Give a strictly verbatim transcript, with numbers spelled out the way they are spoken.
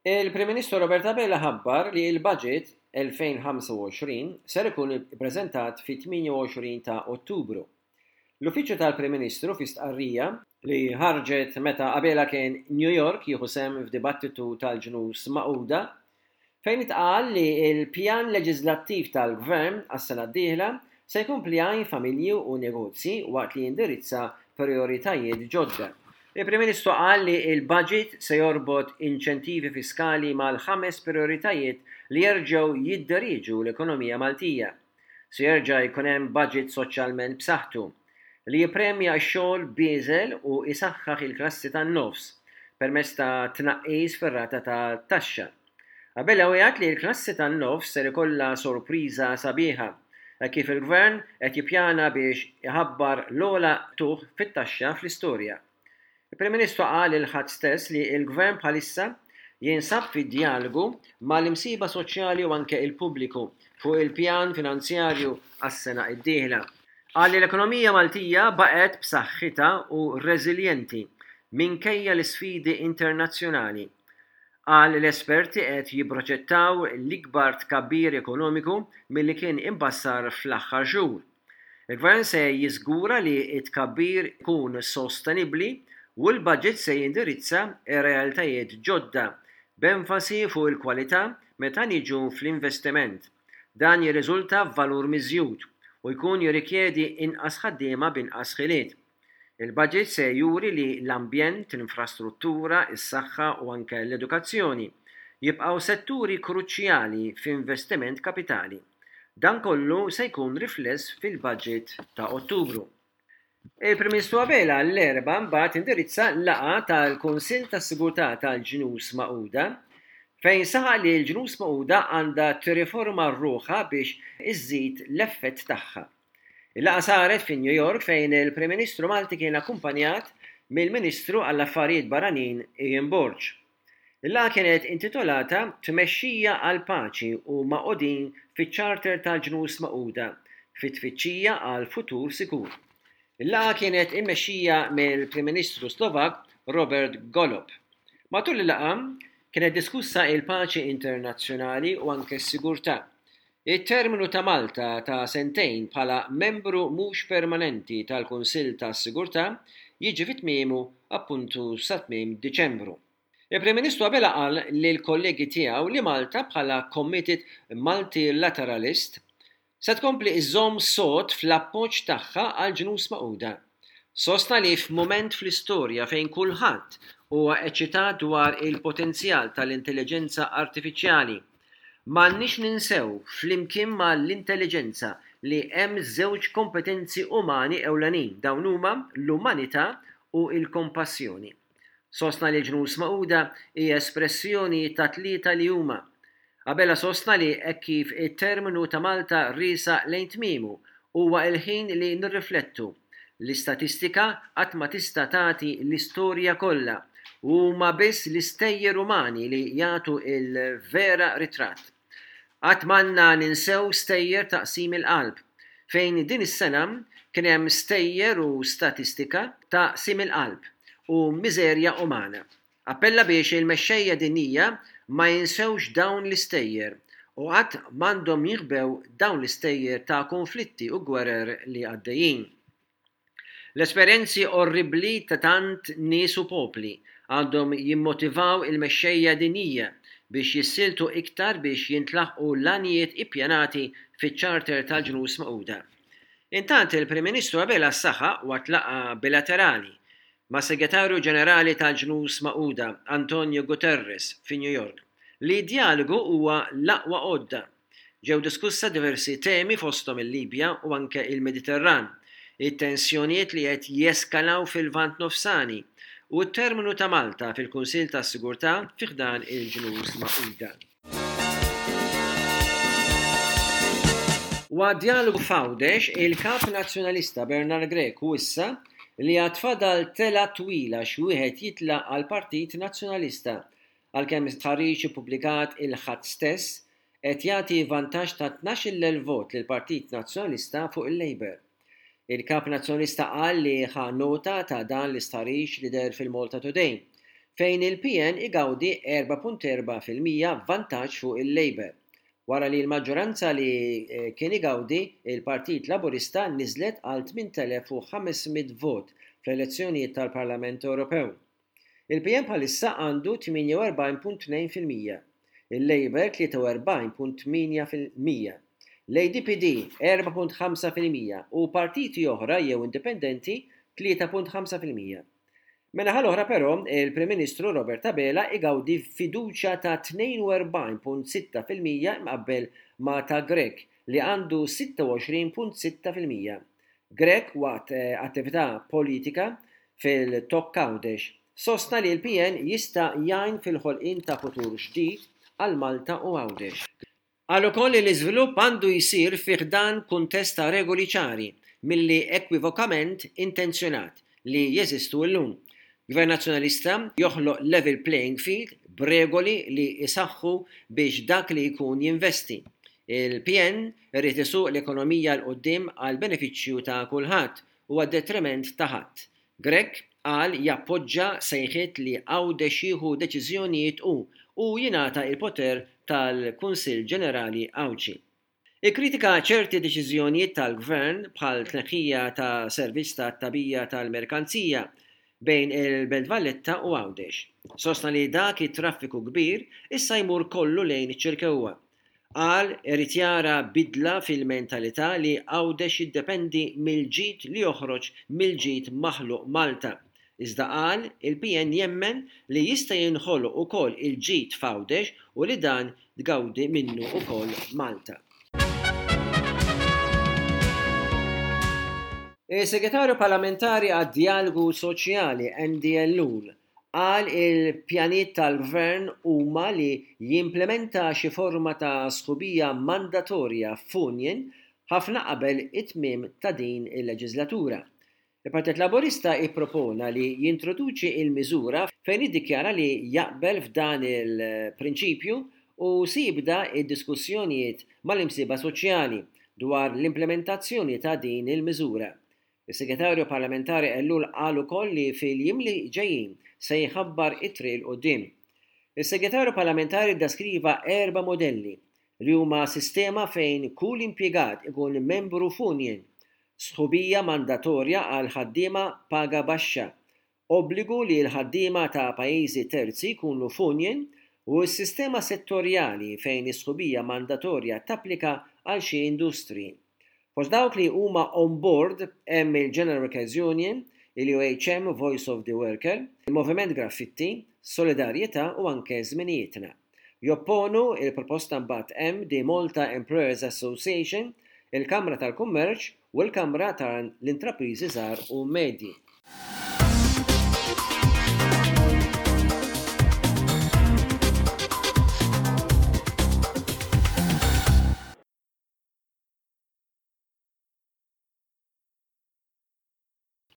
Il-Prim Ministru Robert Abela ħabbar li l-budget elfejn u ħamsa u għoxrin ser ikun ippreżentat fit-tmienja u għoxrin ta' Ottubru. L-Uffiċċju tal-Prim Ministru, fi stqarrija li ħarġet meta Abela kien New York jieħu sehem f'dibattitu tal-Ġnus Magħquda, fejn itqal li l-pjan leġislattiv tal-Gvern għas-sena d-dieħla se jkompli jgħin familji u negozji waqt li jindirizza prioritajiet ġodda. Il-Prim Ministru qal li il-budget se jorbot inċentivi fiskali mal-ħames prioritajiet li jerġgħu jidderieġu l-ekonomija Maltija. Se jerġa' jkun hemm budget soċjalment b'saħħtu li jippremja x-xogħol bieżel u isaħħaħ il-klassi tan-nofs permezz ta' tnaqqis fir-rata ta' taxxa. Abela wiegħed li l-klassi tan-nofs ser ikollha sorpriża sabiħa kif il-gvern qed jippjana biex iħabbar l-ogħla qtugħ fit-taxxa fl-istorja. Il-Prim Ministru qal il-Ħadd stess li l-gvern bħalissa jinsab fi dialogu mal-imsieħba soċjali u anke il-pubbliku fuq il-pjan finanzjarju għas-sena id-dieħla. Qal li l-ekonomija Maltija baqgħet b'saħħitha u reżiljenti minkejja l-isfidi internazzjonali. Qal l-esperti qed jipproġettaw l-ikbar tkabbir ekonomiku milli kien imbassar fl-aħħar xhur. Il-gvern se jiżgura li t-tkabbir ikun sostenibbli u l-budget se jindirizza ir-realtajiet ġodda b'enfasi fuq il-kwalità meta niġu fl-investiment. Dan jirriżulta f'valur miżjud u jkun jirrikjedi inqas ħaddiema b'inqas ħiliet. Il-budget se juri li l-ambjent, l-infrastruttura, is-saħħa u anke l-edukazzjoni jibqgħu setturi kruċjali f'investiment kapitali. Dan kollu se jkun rifless fil-budget ta' Ottubru. Il-Prim Ministru Abela l-Erbgħa mbagħad indirizza laqgħa tal-Kunsill tas-Sigurtà tal-Ġnus Magħquda, fejn saħaq li l-Ġnus Magħquda għandha tirriforma ruħha biex iżżid l-effett tagħha. Il-laqgħa saret fi New York, fejn il-Prim Ministru Malti kien akkumpanjat mill-Ministru għall-Affarijiet Barranin Ian Borg. Il-laqgħa kienet intitolata "Tmexxija għal Paċi u Magħqudin fiċ-Charter tal-Ġnus Magħquda fit-tfittxija għal futur sikur". Il-laqgħa kienet immexxija mill-Prim Ministru Slovak Robert Golob. Matul il-laqgħa kienet diskussa il-paċi internazzjonali u anke s-sigurtà. Il-terminu ta' Malta ta' sentejn bħala membru mhux permanenti tal-Kunsill tas-Sigurtà jiġi fi tmiemu appuntu sa tmiem Diċembru. Il-Prim Ministru Abela qal li l-kollegi tiegħu li Malta, bħala committed multilateralist, se tkompli iżżomm sod fl-appoġġ tagħha għal Ġnus Magħquda. Sostna li f'mument fl-istorja fejn kulħadd huwa eċitat dwar il-potenzjal tal-intelligenza artifiċjali, m'għandniex ninsew flimkien mal-intelligenza li hemm żewġ kompetenzi umani ewlenin: dawn huma l-umanità u l-kompassjoni. Sostna li Ġnus Magħquda hija espressjoni ta' tlieta li huma. Abela sostna li hekk kif it-terminu ta' Malta riesaq lejn tmiemu, huwa il-ħin li nirriflettu. L-istatistika qatt ma tista' tagħti l-istorja kollha u huma biss l-istejjer umani li jagħtu il-vera ritratt. Qatt m'għandna ninsew stejjer ta' qsim il-qalb, fejn din is-sena kien hemm stejjer u statistika ta' qsim il-qalb u miżerja umana. Appella biex il-mexxejja dinjija ma jinsewx dawn l-istejjer u qatt m'għandhom jinħbew dawn l-istejjer ta' konflitti u gwerer li għaddejjin. L-esperjenzi orribli ta' tant nies u popli għandhom jimmotivaw il-mexxejja dinjija biex jissieltu iktar biex jintlaħqu l-għanijiet ippjanati fiċ-Charter tal-Ġnus Magħquda. Intant, il-Prim Ministru Abela saħaq waqt laqgħa bilaterali ma' Segretarju Ġenerali tal-Ġnus Magħquda Antonio Guterres fi New York li dialogu huwa l-aqwa għodda. Ġew diskussa diversi temi, fosthom il-Libja u anke il-Mediterran, it-tensjonijiet li qed jeskalaw fil-Lvant Nofsani u t-terminu ta' Malta fil-Kunsill tas-Sigurtà fi ħdan il-Ġnus Magħquda. Waqt dialogu f'Għawdex, il-Kap Nazzjonalista Bernard Grech wissa li għad fadal telgħa twila x'wieħed jitla' għal Partit Nazzjonalista, għalkemm stħarriġ ippubblikat il-Ħadd stess qed jagħti vantaġġ ta' tnax-il elf vot lill-Partit Nazzjonalista fuq il-Labour. Il-Kap Nazzjonalista qal li ħa nota ta' dan l-istħarriġ li deher fil-Malta Today, fejn il-P N igawdi erbgħa punt erbgħa fil-mija vantaġġ fuq il-Labour, wara li l-maġġoranza li eh, kien igawdi il-Partit Laburista niżlet għal tmint elef u ħames mitt vot fl-elezzjonijiet tal-Parlament Ewropew. Il-P N bħalissa għandu tmienja u erbgħin punt tnejn fil-mija, il-Labour tlieta u erbgħin punt tmienja fil-mija, l-A D P D erbgħa punt ħamsa fil-mija u partiti oħra jew indipendenti tlieta punt ħamsa fil-mija. Min-naħa l-oħra però, il-Prim Ministru Robert Abela igawdi fiduċja ta' tnejn u erbgħin punt sitta fil-mija mqabbel ma' ta' Grech li għandu sitta u għoxrin punt sitta fil-mija. Grech, waqt eh, attività politika fil-Tokk Għawdex, sostna li l-P N jista' jgħin fil-ħolqien ta' futur ġdid għal Malta u Għawdex. Qal ukoll li l-iżvilupp għandu jsir fi ħdan kuntest ta' regoli ċari milli ekwivokament intenzjonat li jeżistu llum. Gvern Nazzjonalista joħloq level playing field b'regoli li jisaħħu biex dak li jkun jinvesti. Il-P N irid isuq l-ekonomija 'l quddiem għal benefiċċju ta' kulħadd u għad-detriment ta' ħadd. Grech qal jappoġġa sejħiet li Għawdex jieħu deċiżjonijiet u u jingħata il-poter tal-Kunsill Ġenerali Għawdxi. Ikkritika ċerti deċiżjonijiet tal-gvern bħal tneħħija ta' servizz ta' tagħbija tal-merkanzija bejn il-Belt Valletta u Għawdex. Sostna li dak it-traffiku kbir issa jmur kollu lejn iċ-Ċirkewwa. Qal irid jara bidla fil-mentalità li Għawdex jiddependi mill-ġid li joħroġ mill-ġid maħluq Malta. Iżda qal il-P N jemmen li jista' jinħoloq ukoll il-ġid f'Għawdex u li dan tgawdi minnu ukoll Malta. Il-Segretarju Parlamentari għad-Djalogu Soċjali Andy Ellul qal il-pjanijiet tal-gvern huma li jimplementa xi forma ta' sħubija mandatorja f'union ħafna qabel it-tmiem ta' din il-leġislatura. Il-Partit Laburista ippropona li jintroduċi il-miżura fejn iddikjara li jaqbel f'dan il-prinċipju u si jibda id-diskussjonijiet mal-imsieħba soċjali dwar l-implementazzjoni ta' din il-miżura. Is-Segretarju Parlamentari Ellul qal ukoll li fil-jiem li ġejjin se jħabbar it-triq 'il quddiem. Is-Segretarju Parlamentari deskriva erba' modelli li huma sistema fejn kull impjegat ikun membru f'union, sħubija mandatorja għal ħaddiema paga baxxa, obbligu li l-ħaddiema ta' pajjiżi terzi jkunu f'union u s-sistema settorjali fejn is-sħubija mandatorja tapplika għal xi industriji. Fost dawk li huma on board hemm il-General Workers Union, il-U H M Voice of the Worker, il-Moviment Graffitti, Solidarjetà u anke Żminijietna. Jopponu il-proposta mbagħad hemm the Malta Employers Association, il-Kamra tal-Kummerċ u l-Kamra tal-Intrapriżi Żgħar u Medji.